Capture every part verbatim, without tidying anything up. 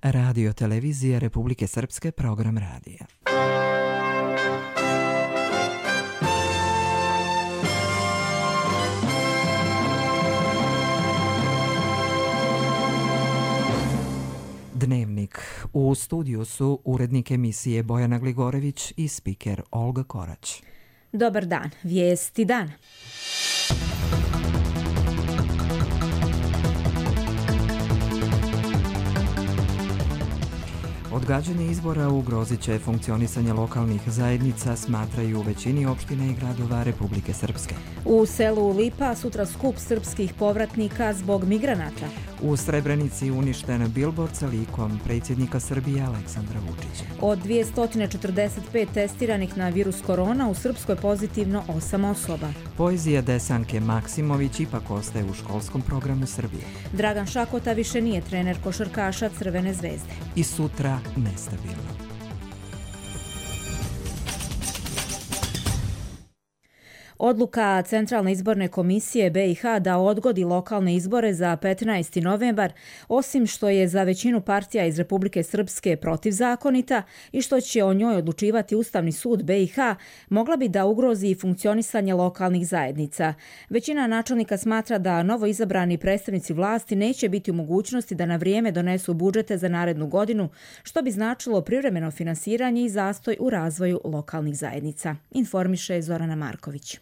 Radio televizije Republike Srpske, program radija. Dnevnik. U studiju su urednik emisije Bojana Gligorević i spiker Olga Korać. Dobar dan, vijesti dana. Odgađanje izbora ugrozit će funkcionisanje lokalnih zajednica, smatraju u većini opština i gradova Republike Srpske. U selu Lipa sutra skup srpskih povratnika zbog migranata. U Srebrenici uništen bilbord sa likom predsjednika Srbije Aleksandra Vučića. Od dvjesto četrdeset pet testiranih na virus korona u Srpskoj pozitivno osam osoba. Poezija Desanke Maksimović ipak ostaje u školskom programu Srbije. Dragan Šakota više nije trener košarkaša Crvene zvezde. I sutra nestabilno. Odluka Centralne izborne komisije B i H da odgodi lokalne izbore za petnaesti novembar, osim što je za većinu partija iz Republike Srpske protivzakonita i što će o njoj odlučivati Ustavni sud B i H, mogla bi da ugrozi funkcionisanje lokalnih zajednica. Većina načelnika smatra da novo izabrani predstavnici vlasti neće biti u mogućnosti da na vrijeme donesu budžete za narednu godinu, što bi značilo privremeno finansiranje i zastoj u razvoju lokalnih zajednica, informiše Zorana Marković.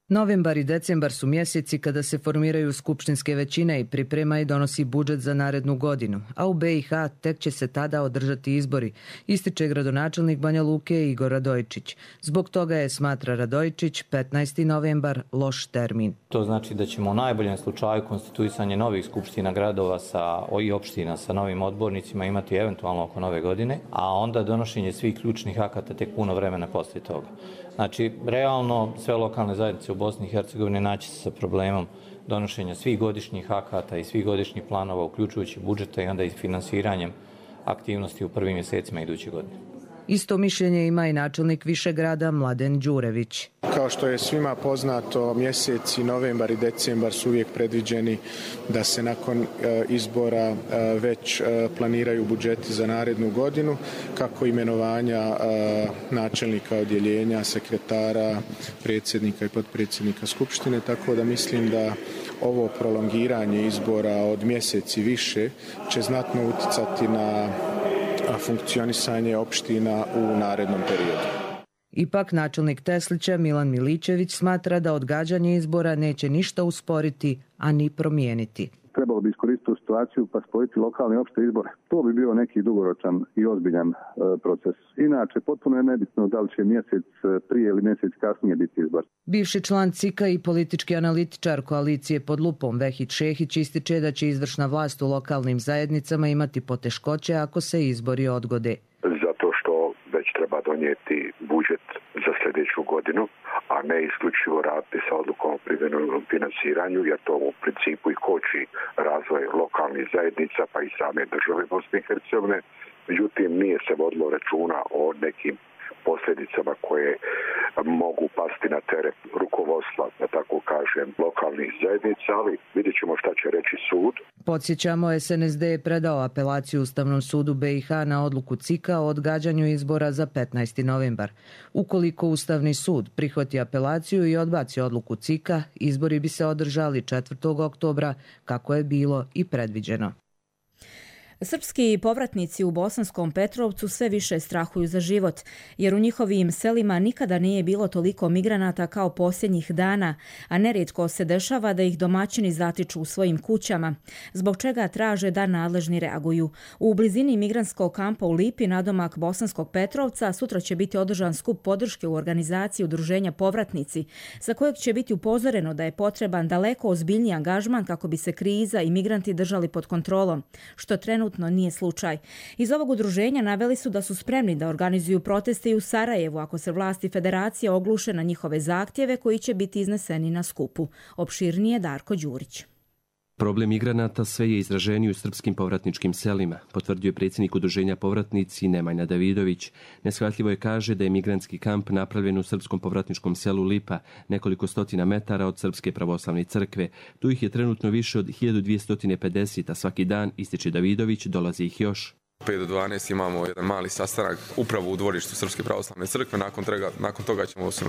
Novembar i decembar su mjeseci kada se formiraju skupštinske većine i priprema i donosi budžet za narednu godinu, a u B i H tek će se tada održati izbori, ističe gradonačelnik Banja Luke Igor Radojičić. Zbog toga je, smatra Radojičić, petnaesti novembar loš termin. To znači da ćemo u najboljem slučaju konstituisanje novih skupština gradova sa, i opština sa novim odbornicima imati eventualno oko nove godine, a onda donošenje svih ključnih akata tek puno vremena poslije toga. Znači, realno sve lokalne zajednice u Bosni i Hercegovini naći se sa problemom donošenja svih godišnjih akata i svih godišnjih planova, uključujući budžeta i onda i finansiranjem aktivnosti u prvim mjesecima iduće godine. Isto mišljenje ima i načelnik Višegrada Mladen Đurević. Kao što je svima poznato, mjeseci novembar i decembar su uvijek predviđeni da se nakon e, izbora e, već e, planiraju budžeti za narednu godinu, kako imenovanja e, načelnika odjeljenja, sekretara, predsjednika i potpredsjednika Skupštine, tako da mislim da ovo prolongiranje izbora od mjeseci više će znatno uticati na funkcionisanje opština u narednom periodu. Ipak načelnik Teslića Milan Milićević smatra da odgađanje izbora neće ništa usporiti, a ni promijeniti. Trebalo bi iskoristiti tu situaciju pa spojiti lokalne opšte izbore. To bi bio neki dugoročan i ozbiljan e, proces. Inače, potpuno je nebitno da li će mjesec prije ili mjesec kasnije biti izbor. Bivši član C I K-a i politički analitičar koalicije pod lupom Vehid Šehić ističe da će izvršna vlast u lokalnim zajednicama imati poteškoće ako se izbori odgode. Zato što već treba donijeti budžet za sljedeću godinu, a ne isključivo raditi sa odlukom o privremenom finansiranju, jer to u principu i koči razvoj lokalnih zajednica pa i same države Bosne i Hercegovine. Međutim, nije se vodilo računa o nekim posljedicama koje mogu pasti na teret rukovodstva, da tako kažem, lokalnih zajednica, ali vidjet ćemo šta će reći sud. Podsjećamo, S N S D je predao apelaciju Ustavnom sudu B i H na odluku C I K-a o odgađanju izbora za petnaesti novembar. Ukoliko Ustavni sud prihvati apelaciju i odbaci odluku C I K-a, izbori bi se održali četvrtog oktobra, kako je bilo i predviđeno. Srpski povratnici u Bosanskom Petrovcu sve više strahuju za život, jer u njihovim selima nikada nije bilo toliko migranata kao posljednjih dana, a nerijetko se dešava da ih domaćini zatiču u svojim kućama, zbog čega traže da nadležni reaguju. U blizini migrantskog kampa u Lipi, nadomak Bosanskog Petrovca, sutra će biti održan skup podrške u organizaciji udruženja Povratnici, za kojeg će biti upozoreno da je potreban daleko ozbiljniji angažman kako bi se kriza i migranti držali pod kontrolom, što trenutno nije slučaj. Iz ovog udruženja naveli su da su spremni da organizuju proteste i u Sarajevu ako se vlasti federacije ogluše na njihove zahtjeve koji će biti izneseni na skupu. Opširnije Darko Đurić. Problem migranata sve je izraženiji u srpskim povratničkim selima, potvrdio je predsjednik udruženja Povratnici Nemanja Davidović. Neshvatljivo je, kaže, da je migrantski kamp napravljen u srpskom povratničkom selu Lipa, nekoliko stotina metara od Srpske pravoslavne crkve. Tu ih je trenutno više od hiljadu dvjesto pedeset, a svaki dan, ističe Davidović, dolazi ih još. pet do dvanaest imamo jedan mali sastanak upravo u dvorištu Srpske pravoslavne crkve. Nakon toga, nakon toga ćemo se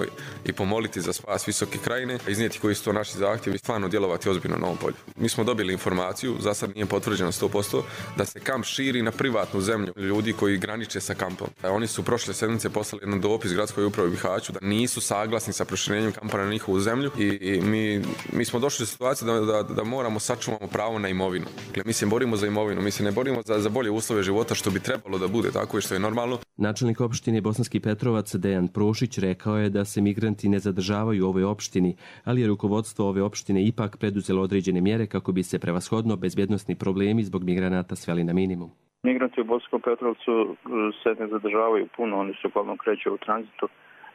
i pomoliti za spas Visoke krajine, iznijeti koji su to naši zahtjevi i stvarno djelovati ozbiljno na ovom polju. Mi smo dobili informaciju, za sad nije potvrđeno sto posto, da se kamp širi na privatnu zemlju ljudi koji graniče sa kampom. Oni su prošle sedmice poslali jedan dopis gradskoj upravi u Bihaću da nisu saglasni sa proširenjem kampa na njihovu zemlju i, i mi, mi smo došli do situacije da, da, da moramo sačuvamo pravo na imovinu. Dakle, mi se borimo za imovinu, mi se ne borimo za, za bolje uslove života, što bi trebalo da bude tako i što je normalno. Načelnik opštine Bosanski Petrovac Dejan Prošić rekao je da se migranti ne zadržavaju u ovoj opštini, ali je rukovodstvo ove opštine ipak preduzelo određene mjere kako bi se prevashodno bezbjednosni problemi zbog migranata sveli na minimum. Migranti u Bosanskom Petrovcu se ne zadržavaju puno, oni se uglavnom kreću u tranzitu.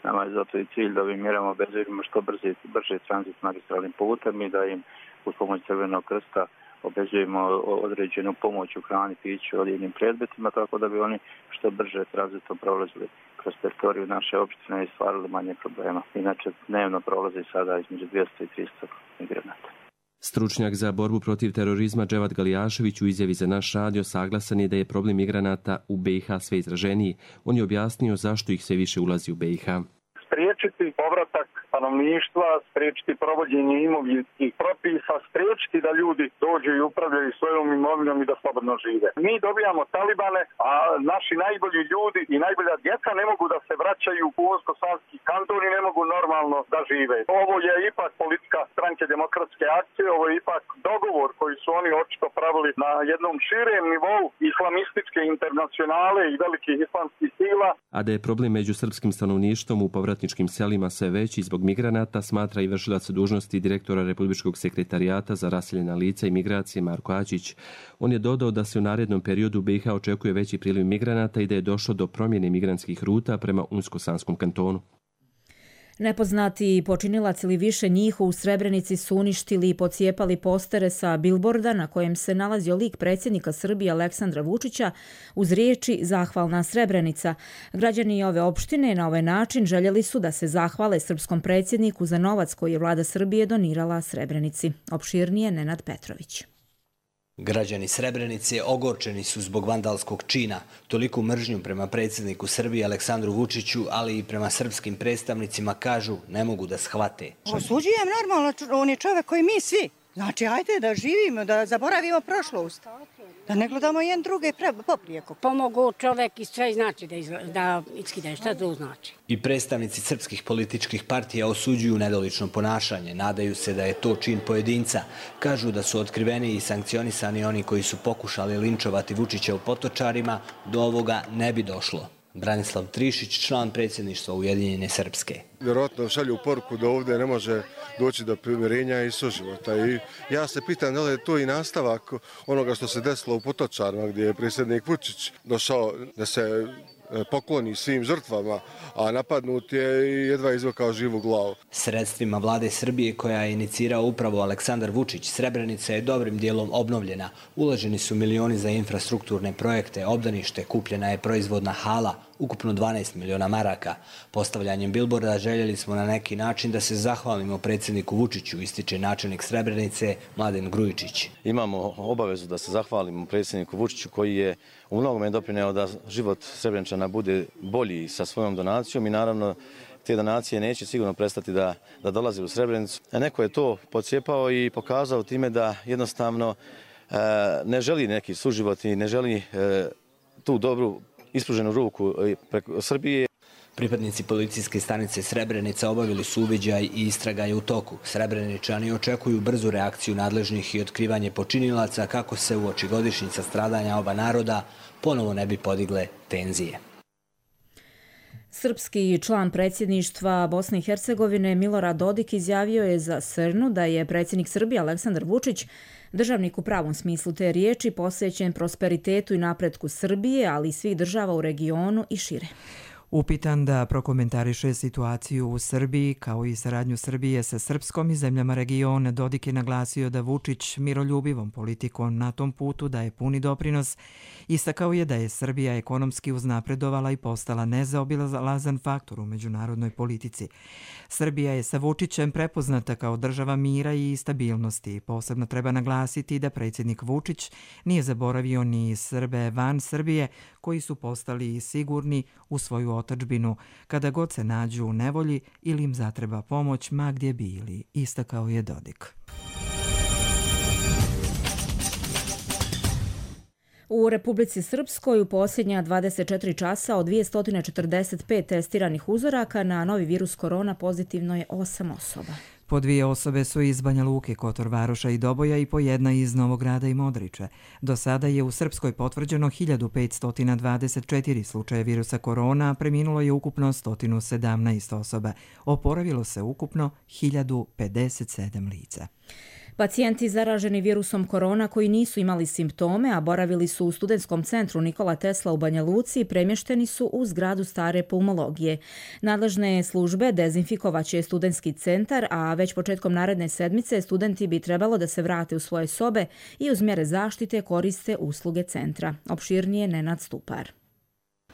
Nama je zato i cilj da im mjerama obezbedimo što brže, brže tranzit magistralnim putem i da im uz pomoć Crvenog krsta obezbedimo određenu pomoć u hrani, piću, odjednim predmetima, tako da bi oni što brže tranzitom prolazili kroz teritoriju naše opštine i stvarali manje problema. Inače, dnevno prolazi sada između dvjesto i tristo migranata. Stručnjak za borbu protiv terorizma Dževat Galijašević u izjavi za naš radio saglasan je da je problem migranata u B i H sve izraženiji. On je objasnio zašto ih sve više ulazi u B i H. Spriječiti povratak stanovništva, spriječiti provođenje imovinskih propisa, spriječiti da ljudi dođu i upravljaju svojom imovinom i da slobodno žive. Mi dobijamo talibane, a naši najbolji ljudi i najbolja djeca ne mogu da se vraćaju u Unsko-sanski kanton i ne mogu normalno da žive. Ovo je ipak politika Stranke demokratske akcije, ovo je ipak dogovor koji su oni očito pravili na jednom širem nivou islamističke internacionale i velikih islamskih sila. A da je problem među srpskim stanovništvom u povratničkim selima sve veći zbog migranata, smatra i vršilac dužnosti direktora Republičkog sekretarijata za raseljena lica i migracije Marko Ačić. On je dodao da se u narednom periodu u B i H očekuje veći priliv migranata i da je došlo do promjene migrantskih ruta prema Unsko-sanskom kantonu. Nepoznati počinilac ili više njih u Srebrenici su uništili i pocijepali postere sa bilborda na kojem se nalazio lik predsjednika Srbije Aleksandra Vučića uz riječi Zahvalna Srebrenica. Građani ove opštine na ovaj način željeli su da se zahvale srpskom predsjedniku za novac koji je vlada Srbije donirala Srebrenici. Opširnije Nenad Petrović. Građani Srebrenice ogorčeni su zbog vandalskog čina. Toliku mržnju prema predsjedniku Srbije Aleksandru Vučiću, ali i prema srpskim predstavnicima, kažu, ne mogu da shvate. Osuđujem normalno, on je čovjek koji mi svi. Znači, ajde da živimo, da zaboravimo prošlost. Da ne gledamo jedan druge poprijeko. Pomogu čovjek i sve znači da, izla, da iskide. Šta to znači? I predstavnici srpskih političkih partija osuđuju nedolično ponašanje. Nadaju se da je to čin pojedinca. Kažu da su otkriveni i sankcionisani oni koji su pokušali linčovati Vučića u Potočarima. Do ovoga ne bi došlo. Branislav Trišić, član predsjedništva Ujedinjene Srpske. Vjerojatno šalju poruku da ovdje ne može doći do primirenja i suživota. I ja se pitam da li je to i nastavak onoga što se desilo u Potočarima, gdje je predsjednik Vučić došao da se pokloni svim žrtvama, a napadnut je i jedva izvukao živu glavu. Sredstvima vlade Srbije, koja je inicirao upravo Aleksandar Vučić, Srebrenica je dobrim dijelom obnovljena. Uloženi su milioni za infrastrukturne projekte, obdanište, kupljena je proizvodna hala, ukupno dvanaest miliona maraka. Postavljanjem bilborda željeli smo na neki način da se zahvalimo predsjedniku Vučiću, ističe načelnik Srebrenice Mladen Grujičić. Imamo obavezu da se zahvalimo predsjedniku Vučiću koji je u mnogome doprineo da život Srebreničana bude bolji sa svojom donacijom i naravno te donacije neće sigurno prestati da, da dolaze u Srebrenicu. A neko je to pocijepao i pokazao time da jednostavno e, ne želi neki suživot i ne želi e, tu dobru ispruženu ruku preko Srbije. Pripadnici policijske stanice Srebrenica obavili su uviđaj i istraga je u toku. Srebreničani očekuju brzu reakciju nadležnih i otkrivanje počinilaca kako se u oči godišnjica stradanja oba naroda ponovo ne bi podigle tenzije. Srpski član predsjedništva Bosne i Hercegovine Milorad Dodik izjavio je za Srnu da je predsjednik Srbije Aleksandar Vučić državnik u pravom smislu te riječi, posvećen prosperitetu i napretku Srbije, ali i svih država u regionu i šire. Upitan da prokomentariše situaciju u Srbiji kao i saradnju Srbije sa Srpskom i zemljama regiona, Dodik je naglasio da Vučić miroljubivom politikom na tom putu daje puni doprinos. Istakao je da je Srbija ekonomski uznapredovala i postala nezaobilazan faktor u međunarodnoj politici. Srbija je sa Vučićem prepoznata kao država mira i stabilnosti. Posebno treba naglasiti da predsjednik Vučić nije zaboravio ni Srbe van Srbije koji su postali sigurni u svoju otadžbinu kada god se nađu u nevolji ili im zatreba pomoć ma gdje bili, istakao je Dodik. U Republici Srpskoj u posljednja dvadeset četiri časa od dvjesto četrdeset pet testiranih uzoraka na novi virus korona pozitivno je osam osoba. Po dvije osobe su iz Banja Luke, Kotor Varoša i Doboja i po jedna iz Novog Grada i Modriče. Do sada je u Srpskoj potvrđeno hiljadu petsto dvadeset četiri slučaje virusa korona, a preminulo je ukupno sto sedamnaest osoba. Oporavilo se ukupno hiljadu pedeset sedam lica. Pacijenti zaraženi virusom korona koji nisu imali simptome, a boravili su u studentskom centru Nikola Tesla u Banja Luci, premješteni su u zgradu stare pulmologije. Nadležne službe dezinfikovaće studentski centar, a već početkom naredne sedmice studenti bi trebalo da se vrate u svoje sobe i uz mjere zaštite koriste usluge centra. Opširnije Nenad Stupar.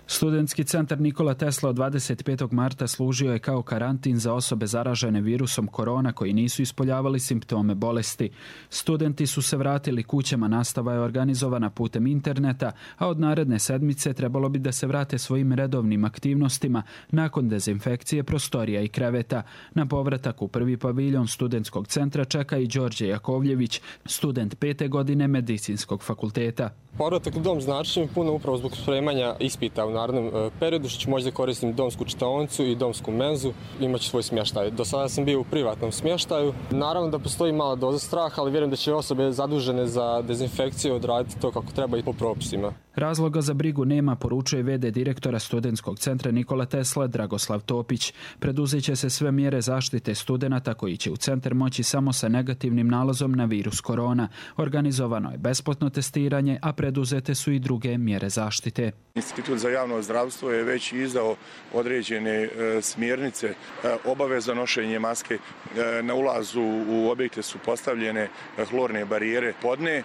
Studentski centar Nikola Tesla od dvadeset petog marta služio je kao karantin za osobe zaražene virusom korona koji nisu ispoljavali simptome bolesti. Studenti su se vratili kućama, nastava je organizovana putem interneta, a od naredne sedmice trebalo bi da se vrate svojim redovnim aktivnostima nakon dezinfekcije prostorija i kreveta. Na povratak u prvi paviljon studentskog centra čeka i Đorđe Jakovljević, student pete godine medicinskog fakulteta. Povratak u dom znači mi puno upravo zbog spremanja ispita u narednom periodu, što ću moći da koristim domsku čitaonicu i domsku menzu, imaću svoj smještaj. Do sada sam bio u privatnom smještaju. Naravno da postoji mala doza straha, ali vjerujem da će osobe zadužene za dezinfekciju odraditi to kako treba i po propisima. Razloga za brigu nema, poručuje ve de direktora studentskog centra Nikola Tesla Dragoslav Topić. Preduzeće se sve mjere zaštite studenata koji će u centar moći samo sa negativnim nalazom na virus korona. Organizovano je besplatno testiranje, a preduzete su i druge mjere zaštite. Institut za javno zdravstvo je već izdao određene e, smjernice, e, obaveza nošenje maske, e, na ulazu u objekte su postavljene hlorne barijere podne, e,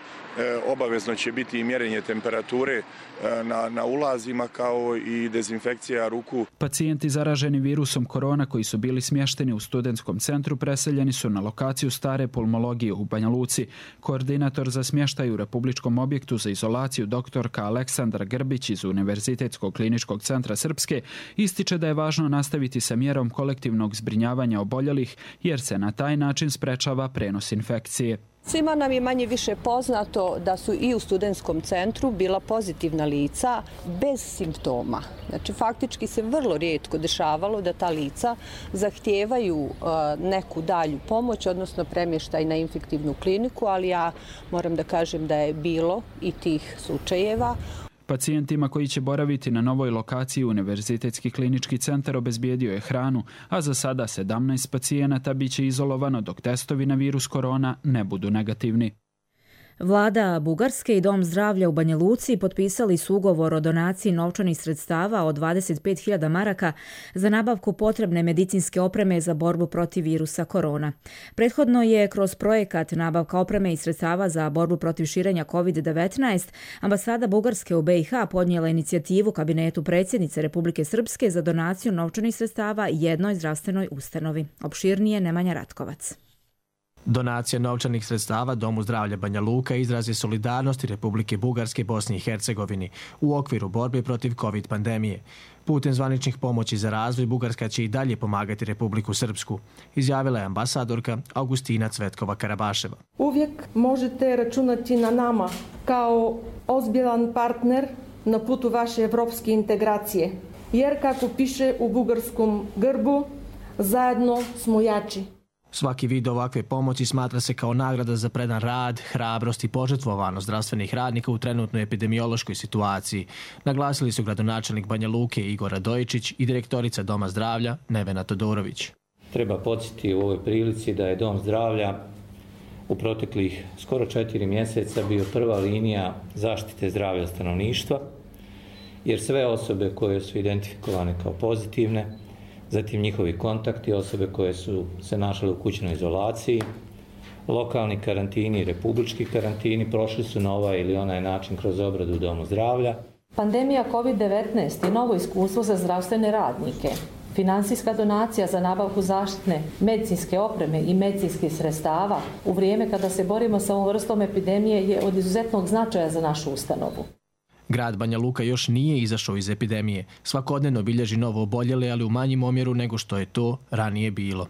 obavezno će biti i mjerenje temperature e, na, na ulazima kao i dezinfekcija ruku. Pacijenti zaraženi virusom korona koji su bili smješteni u studentskom centru preseljeni su na lokaciju stare pulmologije u Banja Luci. Koordinator za smještaj u Republičkom objektu za izolaciju doktorka Aleksandra Grbić iz Univerzitetskog kliničkog centra Srpske ističe da je važno nastaviti sa mjerom kolektivnog zbrinjavanja oboljelih jer se na taj način sprečava prenos infekcije. Svima nam je manje više poznato da su i u studentskom centru bila pozitivna lica bez simptoma. Znači, faktički se vrlo rijetko dešavalo da ta lica zahtijevaju neku dalju pomoć, odnosno premještaj na infektivnu kliniku, ali ja moram da kažem da je bilo i tih slučajeva. Pacijentima koji će boraviti na novoj lokaciji Univerzitetski klinički centar obezbijedio je hranu, a za sada sedamnaest pacijenata biće izolovano dok testovi na virus korona ne budu negativni. Vlada Bugarske i Dom zdravlja u Banja Luci potpisali su ugovor o donaciji novčanih sredstava od dvadeset pet hiljada maraka za nabavku potrebne medicinske opreme za borbu protiv virusa korona. Prethodno je kroz projekat nabavka opreme i sredstava za borbu protiv širenja kovid devetnaest ambasada Bugarske u be i ha podnijela inicijativu kabinetu predsjednice Republike Srpske za donaciju novčanih sredstava jednoj zdravstvenoj ustanovi. Opširnije Nemanja Ratkovac. Donacija novčanih sredstava Domu zdravlja Banja Luka izraz je solidarnosti Republike Bugarske Bosni i Hercegovini u okviru borbe protiv kovid pandemije. Putem zvaničnih pomoći za razvoj Bugarska će i dalje pomagati Republiku Srpsku, izjavila je ambasadorka Augustina Cvetkova Karabaševa. Uvijek možete računati na nama kao ozbiljan partner na putu vaše evropske integracije, jer kako piše u bugarskom grbu, zajedno smo jači. Svaki vid ovakve pomoći smatra se kao nagrada za predan rad, hrabrost i požrtvovanost zdravstvenih radnika u trenutnoj epidemiološkoj situaciji, naglasili su gradonačelnik Banja Luke Igor Radojičić i direktorica Doma zdravlja Nevena Todorović. Treba podsjetiti u ovoj prilici da je Dom zdravlja u proteklih skoro četiri mjeseca bio prva linija zaštite zdravlja stanovništva jer sve osobe koje su identifikovane kao pozitivne, zatim njihovi kontakti, osobe koje su se našle u kućnoj izolaciji, lokalni karantini i republički karantini prošli su na ovaj ili onaj način kroz obradu u domu zdravlja. Pandemija kovid devetnaest je novo iskustvo za zdravstvene radnike. Finansijska donacija za nabavku zaštitne medicinske opreme i medicinskih sredstava u vrijeme kada se borimo sa ovom vrstom epidemije je od izuzetnog značaja za našu ustanovu. Grad Banja Luka još nije izašao iz epidemije. Svakodnevno bilježi novo oboljele, ali u manjim omjeru nego što je to ranije bilo.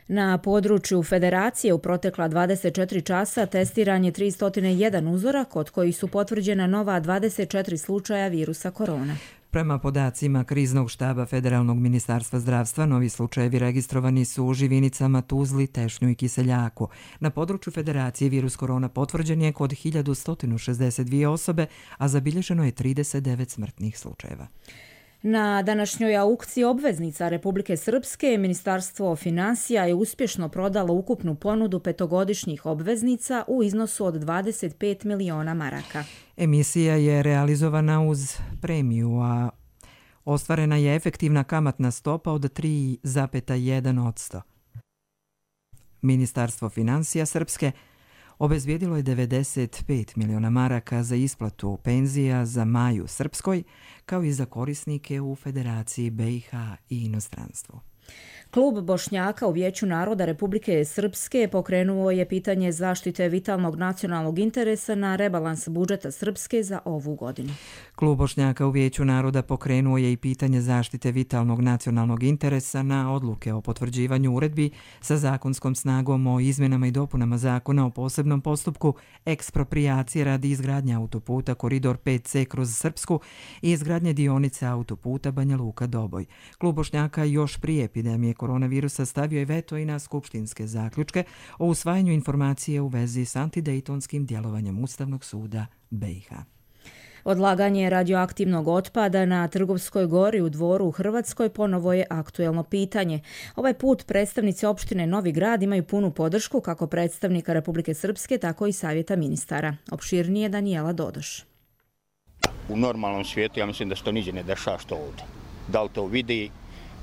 Na području Federacije u protekla dvadeset četiri časa testiran je tristo jedan uzorak, od kojih su potvrđena nova dvadeset četiri slučaja virusa korona. Prema podacima kriznog štaba Federalnog ministarstva zdravstva, novi slučajevi registrovani su u Živinicama, Tuzli, Tešnju i Kiseljaku. Na području Federacije virus korona potvrđen je kod hiljadu sto šezdeset dvije osobe, a zabilježeno je trideset devet smrtnih slučajeva. Na današnjoj aukciji obveznica Republike Srpske Ministarstvo financija je uspješno prodalo ukupnu ponudu petogodišnjih obveznica u iznosu od dvadeset pet miliona maraka. Emisija je realizovana uz premiju, a ostvarena je efektivna kamatna stopa od tri zarez jedan posto. Ministarstvo financija Srpske obezbijedilo je devedeset pet miliona maraka za isplatu penzija za Maju Srpskoj, kao i za korisnike u Federaciji B i H i inostranstvu. Klub Bošnjaka u Vijeću naroda Republike Srpske pokrenuo je pitanje zaštite vitalnog nacionalnog interesa na rebalans budžeta Srpske za ovu godinu. Klub Bošnjaka u Vijeću naroda pokrenuo je i pitanje zaštite vitalnog nacionalnog interesa na odluke o potvrđivanju uredbi sa zakonskom snagom o izmjenama i dopunama zakona o posebnom postupku eksproprijacije radi izgradnje autoputa Koridor pet C kroz Srpsku i izgradnje dionice autoputa Banja Luka-Doboj. Klub Bošnjaka još prije epidemije koronavirusa stavio je veto i na skupštinske zaključke o usvajanju informacije u vezi s antidejtonskim djelovanjem Ustavnog suda B i H. Odlaganje radioaktivnog otpada na Trgovskoj gori u Dvoru u Hrvatskoj ponovo je aktuelno pitanje. Ovaj put predstavnici opštine Novi Grad imaju punu podršku kako predstavnika Republike Srpske, tako i savjeta ministara. Opširnije Danijela Dodoš. U normalnom svijetu ja mislim da se to niđe ne dešava što ovdje. Da li to vidi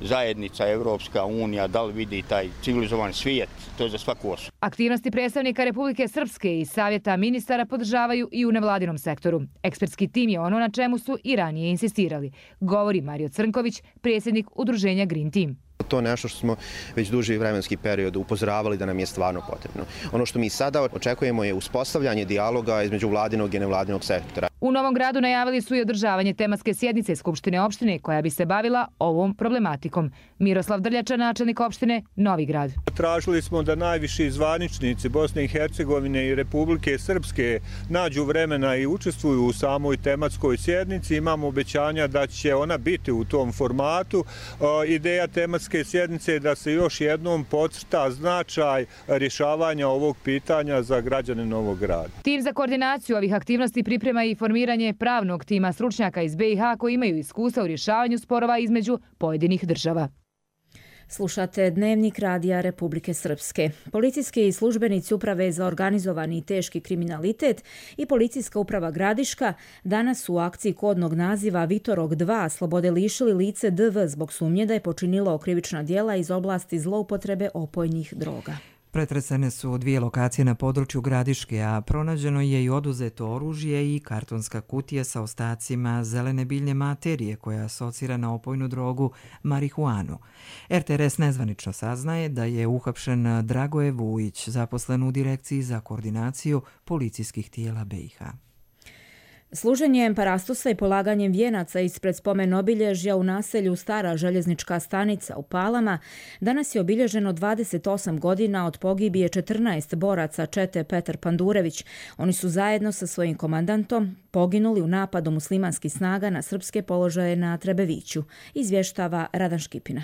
zajednica, Evropska unija, da li vidi taj civilizovan svijet, to je za svaku osobu. Aktivnosti predstavnika Republike Srpske i savjeta ministara podržavaju i u nevladinom sektoru. Ekspertski tim je ono na čemu su i ranije insistirali, govori Mario Crnković, predsjednik udruženja Green Team. To je nešto što smo već duži vremenski period upozoravali da nam je stvarno potrebno. Ono što mi sada očekujemo je uspostavljanje dijaloga između vladinog i nevladinog sektora. U Novom Gradu najavili su i održavanje tematske sjednice Skupštine opštine koja bi se bavila ovom problematikom. Miroslav Drljača, načelnik opštine Novi Grad. Tražili smo da najviši zvaničnici Bosne i Hercegovine i Republike Srpske nađu vremena i učestvuju u samoj tematskoj sjednici. Imamo obećanja da će ona biti u tom formatu. Ideja tematske sjednice je da se još jednom podcrta značaj rješavanja ovog pitanja za građane Novog Grada. Tim za koordinaciju ovih aktivnosti priprema i formiranje pravnog tima stručnjaka iz B i H koji imaju iskustva u rješavanju sporova između pojedinih država. Slušate Dnevnik radija Republike Srpske. Policijski službenici Uprave za organizovani i teški kriminalitet i Policijska uprava Gradiška danas su u akciji kodnog naziva Vitorog dva slobode lišili lice D V zbog sumnje da je počinilo krivična djela iz oblasti zloupotrebe opojnih droga. Pretresene su dvije lokacije na području Gradiške, a pronađeno je i oduzeto oružje i kartonska kutija sa ostacima zelene biljne materije koja asocira na opojnu drogu marihuanu. R T R S nezvanično saznaje da je uhapšen Dragoje Vujić, zaposlen u Direkciji za koordinaciju policijskih tijela B i H. Služenjem parastosa i polaganjem vijenaca ispred spomen obilježja u naselju Stara željeznička stanica u Palama danas je obilježeno dvadeset osam godina od pogibije četrnaest boraca čete Petar Pandurević. Oni su zajedno sa svojim komandantom poginuli u napadu muslimanskih snaga na srpske položaje na Trebeviću, izvještava Radan Škipina.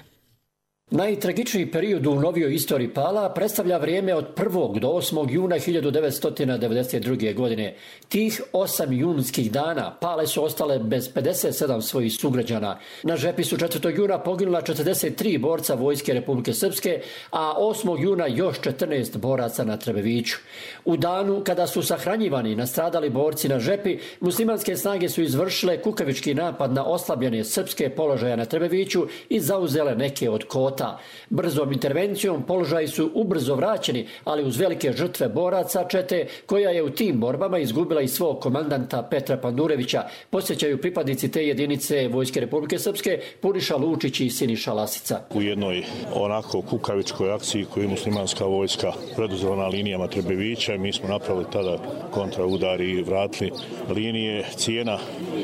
Najtragičniji period u novijoj istoriji Pala predstavlja vrijeme od prvog do osmog juna hiljadu devetsto devedeset druge. godine. Tih osam junskih dana Pale su ostale bez pedeset sedam svojih sugrađana. Na žepi su četvrtog juna poginula četrdeset tri borca Vojske Republike Srpske, a osmog juna još četrnaest boraca na Trebeviću. U danu kada su sahranjivani nastradali borci na žepi, muslimanske snage su izvršile kukavički napad na oslabljene srpske položaje na Trebeviću i zauzele neke od kota. Brzom intervencijom položaji su ubrzo vraćeni, ali uz velike žrtve boraca čete, koja je u tim borbama izgubila i svog komandanta Petra Pandurevića, posjećaju pripadnici te jedinice Vojske Republike Srpske Puniša Lučić i Siniša Lasica. U jednoj onako kukavičkoj akciji koju je muslimanska vojska preduzela na linijama Trebevića, mi smo napravili tada kontraudar i vratili linije. Cijena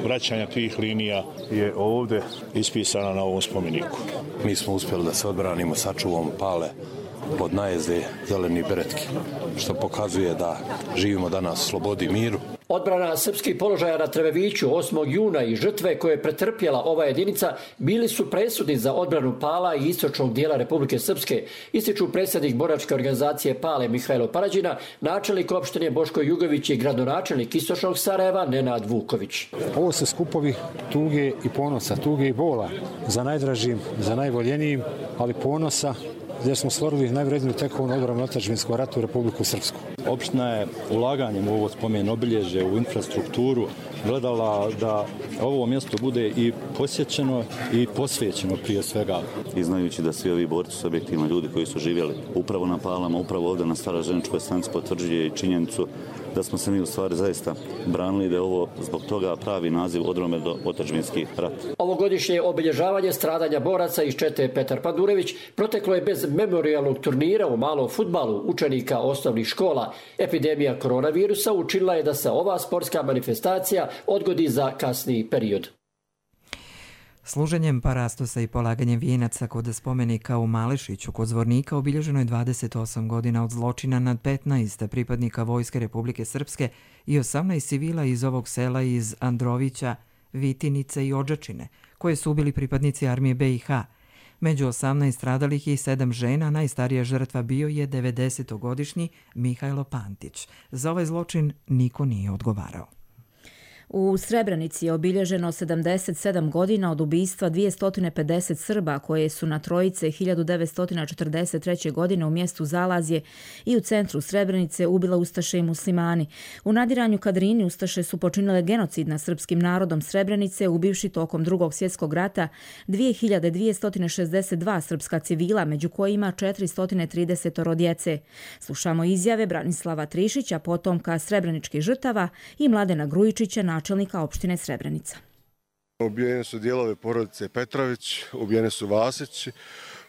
vraćanja tih linija je ovdje ispisana na ovom spomeniku. Mi smo uspjeli da se odbranimo, sačuvamo Pale od najezde zelenih beretki, što pokazuje da živimo danas u slobodi i miru. Odbrana srpskih položaja na Trebeviću osmog juna i žrtve koje je pretrpjela ova jedinica bili su presudni za odbranu Pala i istočnog dijela Republike Srpske, ističu predsjednik boračke organizacije Pale Mihajlo Parađina, načelnik opštine Boško Jugović i gradonačelnik istočnog Sarajeva Nenad Vuković. Ovo su skupovi tuge i ponosa, tuge i bola za najdražim, za najvoljenijim, ali ponosa gdje smo stvorili najvredniju tekovnu odbranu otadžbinskom ratu u Republiku Srpsku. Opština je ulaganjem u ovo spomen obilježje, u infrastrukturu, gledala da ovo mjesto bude i posjećeno i posvećeno prije svega. I znajući da svi ovi borci su objektivno ljudi koji su živjeli upravo na Palama, upravo ovdje na Staraženičkoj stanici, potvrđuje i činjenicu da smo se mi u stvari zaista branili, da je ovo zbog toga pravi naziv odrome do otadžbinski rat. Ovogodišnje obilježavanje stradanja boraca iz čete Petar Pandurević proteklo je bez memorijalnog turnira u malom fudbalu učenika osnovnih škola. Epidemija koronavirusa učinila je da se ova sportska manifestacija odgodi za kasniji period. Služenjem parastosa i polaganjem vijenaca kod spomenika u Malešiću kod Zvornika obilježeno je dvadeset osam godina od zločina nad petnaest pripadnika Vojske Republike Srpske i osamnaest civila iz ovog sela iz Androvića, Vitinice i Odžačine, koje su ubili pripadnici armije be i ha. Među osamnaest stradalih i sedam žena, najstarija žrtva bio je devedesetogodišnji Mihajlo Pantić. Za ovaj zločin niko nije odgovarao. U Srebrenici je obilježeno sedamdeset sedam godina od ubistva dvjesto pedeset Srba koje su na Trojice hiljadu devetsto četrdeset treće. godine u mjestu Zalazje i u centru Srebrenice ubila ustaše i muslimani. U nadiranju Kadrini ustaše su počinile genocid nad srpskim narodom Srebrenice, ubivši tokom drugog svjetskog rata dvije hiljade dvjesto šezdeset dva srpska civila, među kojima četiristo trideset djece. Slušamo izjave Branislava Trišića, potomka srebreničkih žrtava, i Mladena Grujičića, načelnika opštine Srebrenica. Ubijene su dijelove porodice Petrović, ubijene su Vasić,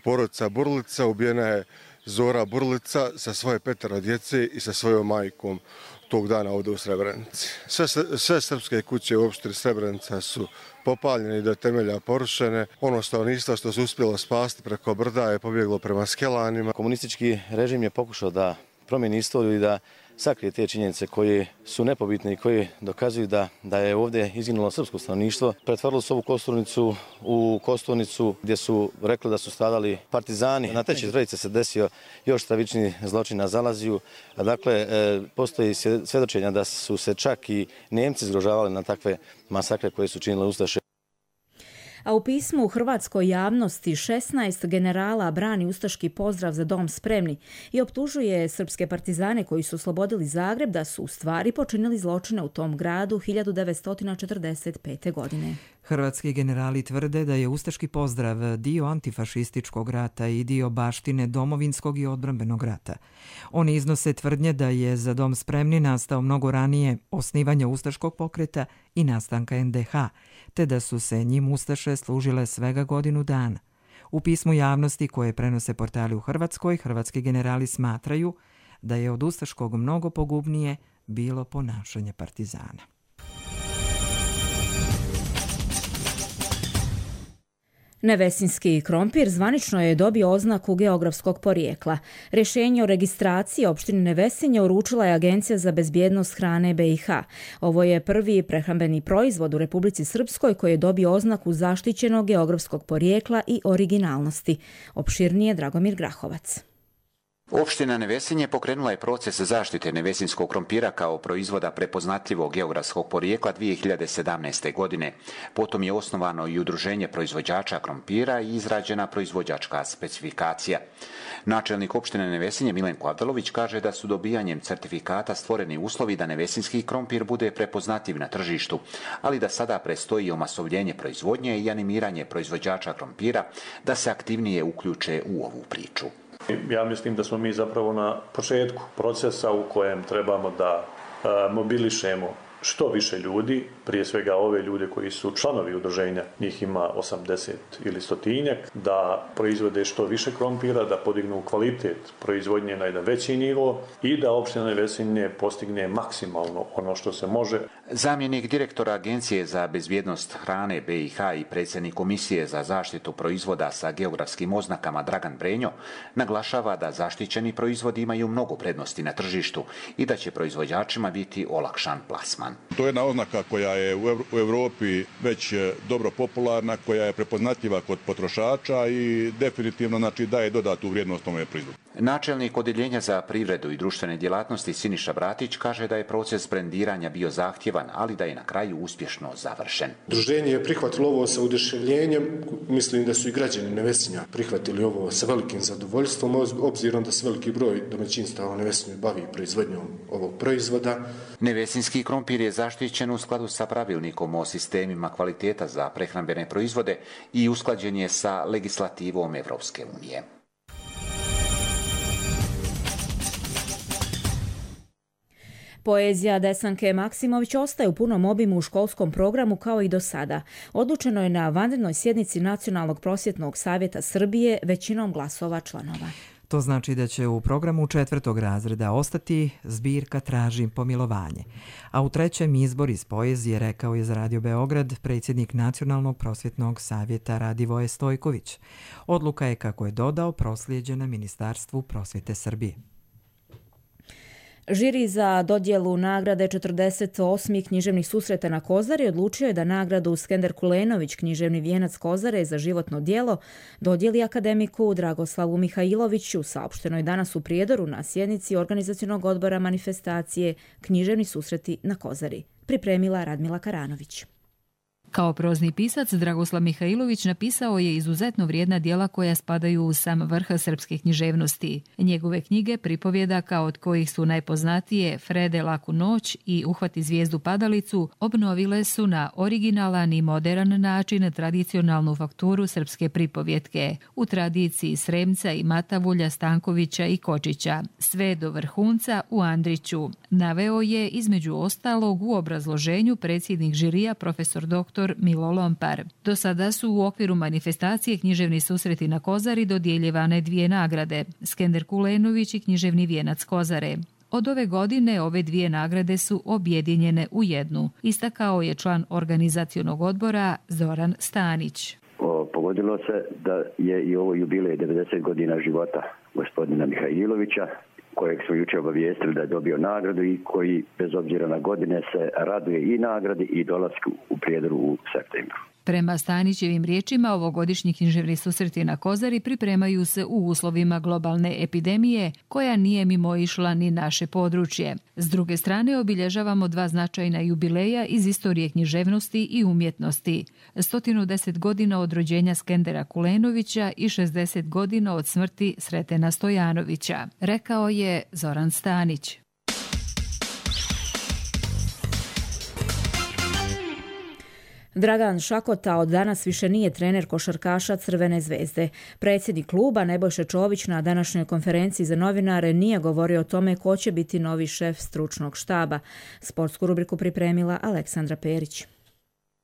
porodica Burlica, ubijena je Zora Burlica sa svoje petero djece i sa svojom majkom tog dana ovdje u Srebrenici. Sve, sve srpske kuće u opštini Srebrenica su popaljene i do temelja porušene. Ono stanovništvo što se uspjelo spasti preko brda je pobjeglo prema Skelanima. Komunistički režim je pokušao da promijeni istoriju i da sakrije te činjenice koje su nepobitne i koje dokazuju da, da je ovdje izginulo srpsko stanovništvo. Pretvorilo su ovu Kosturnicu u Kosturnicu gdje su rekli da su stradali partizani. Na Trećoj Trojici se desio još stravični zločin na Zalaziju. Dakle, postoji svjedočenja da su se čak i Nemci zgrožavali na takve masakre koje su činile ustaše. A u pismu u hrvatskoj javnosti šesnaest generala brani ustaški pozdrav za dom spremni i optužuje srpske partizane koji su oslobodili Zagreb da su u stvari počinili zločine u tom gradu hiljadu devetsto četrdeset pete. godine. Hrvatski generali tvrde da je ustaški pozdrav dio antifašističkog rata i dio baštine domovinskog i odbrambenog rata. Oni iznose tvrdnje da je za dom spremni nastao mnogo ranije osnivanja ustaškog pokreta i nastanka en de ha, te da su se njim ustaše služile svega godinu dana. U pismu javnosti koje prenose portali u Hrvatskoj, hrvatski generali smatraju da je od ustaškog mnogo pogubnije bilo ponašanje partizana. Nevesinski krompir zvanično je dobio oznaku geografskog porijekla. Rješenje o registraciji opštine Nevesinje uručila je Agencija za bezbjednost hrane B i H. Ovo je prvi prehrambeni proizvod u Republici Srpskoj koji je dobio oznaku zaštićenog geografskog porijekla i originalnosti. Opširnije Dragomir Grahovac. Opština Nevesinje pokrenula je proces zaštite nevesinskog krompira kao proizvoda prepoznatljivog geografskog porijekla dvije hiljade sedamnaeste. godine. Potom je osnovano i udruženje proizvođača krompira i izrađena proizvođačka specifikacija. Načelnik opštine Nevesinje Milenko Avdelović kaže da su dobijanjem certifikata stvoreni uslovi da nevesinski krompir bude prepoznatljiv na tržištu, ali da sada prestoji omasovljenje proizvodnje i animiranje proizvođača krompira da se aktivnije uključe u ovu priču. Ja mislim da smo mi zapravo na početku procesa u kojem trebamo da a, mobilišemo što više ljudi, prije svega ove ljude koji su članovi udruženja, njih ima osamdeset ili stotinjak, da proizvode što više krompira, da podignu kvalitet proizvodnje na jedan veći nivo i da opština Nevesinje postigne maksimalno ono što se može. Zamjenik direktora Agencije za bezbjednost hrane B i H i predsjednik Komisije za zaštitu proizvoda sa geografskim oznakama Dragan Brenjo naglašava da zaštićeni proizvodi imaju mnogo prednosti na tržištu i da će proizvođačima biti olakšan plasman. To je jedna oznaka koja je u Europi već dobro popularna, koja je prepoznatljiva kod potrošača i definitivno znači daje dodatnu vrijednost tome proizvodu. Načelnik Odjeljenja za privredu i društvene djelatnosti Siniša Bratić kaže da je proces brendiranja bio zahtjevan, ali da je na kraju uspješno završen. Udruženje je prihvatilo ovo sa oduševljenjem, mislim da su i građani Nevesinja prihvatili ovo sa velikim zadovoljstvom, obzirom da se veliki broj domaćinstava u Nevesinju bavi proizvodnjom ovog proizvoda. Nevesinski krompir je zaštićen u skladu sa pravilnikom o sistemima kvaliteta za prehrambene proizvode i usklađen je sa legislativom Evropske unije. Poezija Desanke Maksimović ostaje u punom obimu u školskom programu kao i do sada. Odlučeno je na vanrednoj sjednici Nacionalnog prosvjetnog savjeta Srbije većinom glasova članova. To znači da će u programu četvrtog razreda ostati zbirka Tražim pomilovanje. A u trećem izbor iz poezije, rekao je za Radio Beograd predsjednik Nacionalnog prosvjetnog savjeta Radivoje Stojković. Odluka je, kako je dodao, proslijeđena Ministarstvu prosvjete Srbije. Žiri za dodjelu nagrade četrdeset osmih književnih susreta na Kozari odlučio je da nagradu Skender Kulenović, književni vijenac Kozare za životno djelo, dodjeli akademiku Dragoslavu Mihajloviću, saopšteno je danas u Prijedoru na sjednici organizacionog odbora manifestacije Književni susreti na Kozari. Pripremila Radmila Karanović. Kao prozni pisac, Dragoslav Mihajlović napisao je izuzetno vrijedna djela koja spadaju u sam vrh srpske književnosti. Njegove knjige pripovjedaka, od kojih su najpoznatije Frede laku noć i Uhvati zvijezdu padalicu, obnovile su na originalan i modern način tradicionalnu fakturu srpske pripovjetke u tradiciji Sremca i Matavulja, Stankovića i Kočića, sve do vrhunca u Andriću. Naveo je između ostalog u obrazloženju predsjednik žirija profesor doktor Milo Lompar. Do sada su u okviru manifestacije Književni susreti na Kozari dodjeljivane dvije nagrade, Skender Kulenović i književni vijenac Kozare. Od ove godine ove dvije nagrade su objedinjene u jednu, istakao je član organizacionog odbora Zoran Stanić. O, pogodilo se da je i ovo jubilej devedeset godina života gospodina Mihajlovića, kojeg smo jučer obavijestili da je dobio nagradu i koji, bez obzira na godine, se raduje i nagradi i dolasku u Prijedoru u septembru. Prema Stanićevim riječima, ovogodišnji književni susreti na Kozari pripremaju se u uslovima globalne epidemije, koja nije mimoišla ni naše područje. S druge strane, obilježavamo dva značajna jubileja iz istorije književnosti i umjetnosti. sto deset godina od rođenja Skendera Kulenovića i šezdeset godina od smrti Sretena Stojanovića, rekao je Zoran Stanić. Dragan Šakota od danas više nije trener košarkaša Crvene zvezde. Predsjednik kluba Nebojša Čović na današnjoj konferenciji za novinare nije govorio o tome ko će biti novi šef stručnog štaba. Sportsku rubriku pripremila Aleksandra Perić.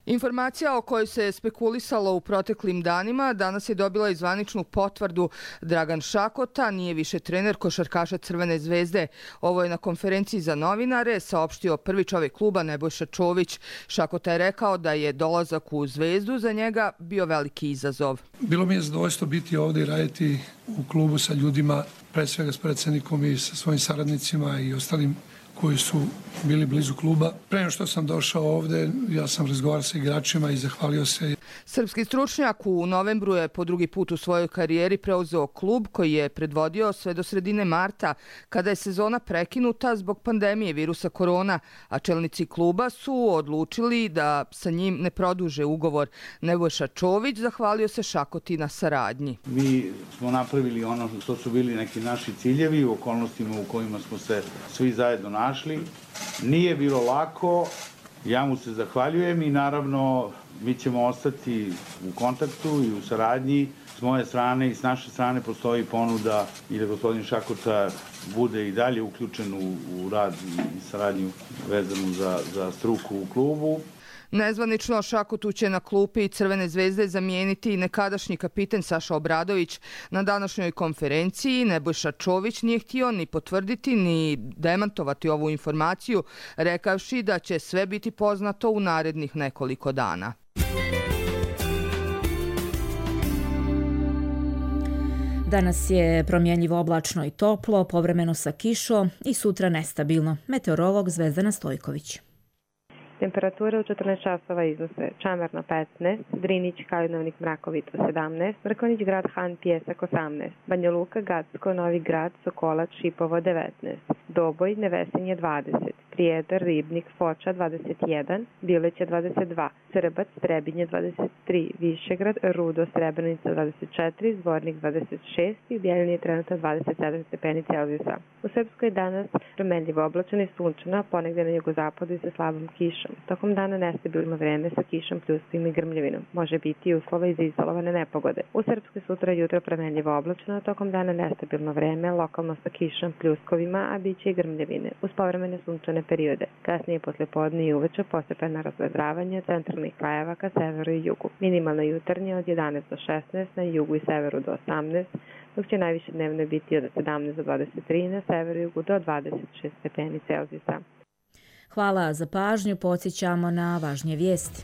Informacija o kojoj se spekulisalo u proteklim danima danas je dobila i zvaničnu potvrdu. Dragan Šakota nije više trener košarkaša Crvene zvezde. Ovo je na konferenciji za novinare saopštio prvi čovjek kluba Nebojša Čović. Šakota je rekao da je dolazak u Zvezdu za njega bio veliki izazov. Bilo mi je zadovoljstvo biti ovdje i raditi u klubu sa ljudima, pre svega s predsjednikom i sa svojim saradnicima i ostalim koji su bili blizu kluba. Pre nego što sam došao ovdje, ja sam razgovarao sa igračima i zahvalio se. Srpski stručnjak u novembru je po drugi put u svojoj karijeri preuzeo klub koji je predvodio sve do sredine marta, kada je sezona prekinuta zbog pandemije virusa korona, a čelnici kluba su odlučili da sa njim ne produže ugovor. Nebojša Čović zahvalio se Šakoti na saradnji. Mi smo napravili ono što su bili neki naši ciljevi u okolnostima u kojima smo se svi zajedno našli. Nije bilo lako, ja mu se zahvaljujem i naravno mi ćemo ostati u kontaktu i u saradnji. S moje strane i s naše strane postoji ponuda i da gospodin Šakota bude i dalje uključen u, u rad i saradnju vezanu za, za struku u klubu. Nezvanično Šakotu će na klupi Crvene zvezde zamijeniti nekadašnji kapiten Saša Obradović. Na današnjoj konferenciji Nebojša Čović nije htio ni potvrditi ni demantovati ovu informaciju, rekavši da će sve biti poznato u narednih nekoliko dana. Danas je promjenjivo oblačno i toplo, povremeno sa kišom i sutra nestabilno. Meteorolog Zvezdana Stojković. Temperature u četrnaest časova iznose Čamarno petnaest, Drinić, Kalinovnik, Mrakovito sedamnaest, Mrkonjić, Grad Han, Pijesak osamnaest, Banja Luka, Gacko, Novi Grad, Sokolac, Šipovo devetnaest, Doboj, Nevesinje dvadeset, Prijedor, Ribnik, Foča dvadeset jedan, Bileća dvadeset dva, Srbac, Trebinje dvadeset tri, Višegrad, Rudo, Srebrenica dvadeset četiri, Zvornik dvadeset šest i u Bjeljini je trenutno dvadeset sedam stepeni Celzijusa. U Srpskoj danas promenljivo oblačno i sunčano, ponegdje na jugozapadu i sa slabom kišom. Tokom dana nestabilno vreme sa kišom, pljuskom i grmljavinom. Može biti i uslova i za izolovane nepogode. U Srpskoj sutra jutro promenljivo oblačno, tokom dana nestabilno vreme, lokalno sa kišom, pljuskovima, a bit će i grmljavine, uz povremene sunčane periode. Kasnije posle podne i uveče postepeno razvedravanje centralnih krajeva ka severu i jugu. Minimalna jutarnja od jedanaest do šesnaest, na jugu i severu do osamnaest, dok će najviše dnevno biti od sedamnaest do dvadeset tri, na severu i jugu do dvadeset šest stepeni Celzijusa. Hvala za pažnju, podsjećamo na važnije vijesti.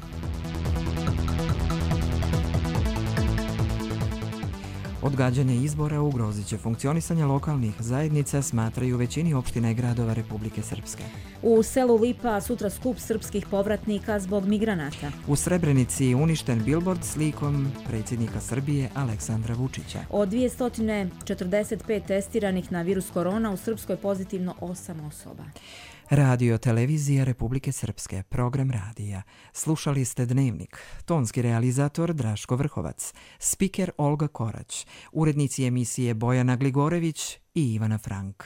Odgađanje izbora ugrozit će funkcionisanje lokalnih zajednica, smatraju većini opština i gradova Republike Srpske. U selu Lipa sutra skup srpskih povratnika zbog migranata. U Srebrenici uništen bilbord slikom predsjednika Srbije Aleksandra Vučića. Od dvjesto četrdeset pet testiranih na virus korona u Srpskoj pozitivno osam osoba. Radio Televizija Republike Srpske, program radija. Slušali ste Dnevnik. Tonski realizator Draško Vrhovac, spiker Olga Korać, urednici emisije Bojana Gligorević i Ivana Frank.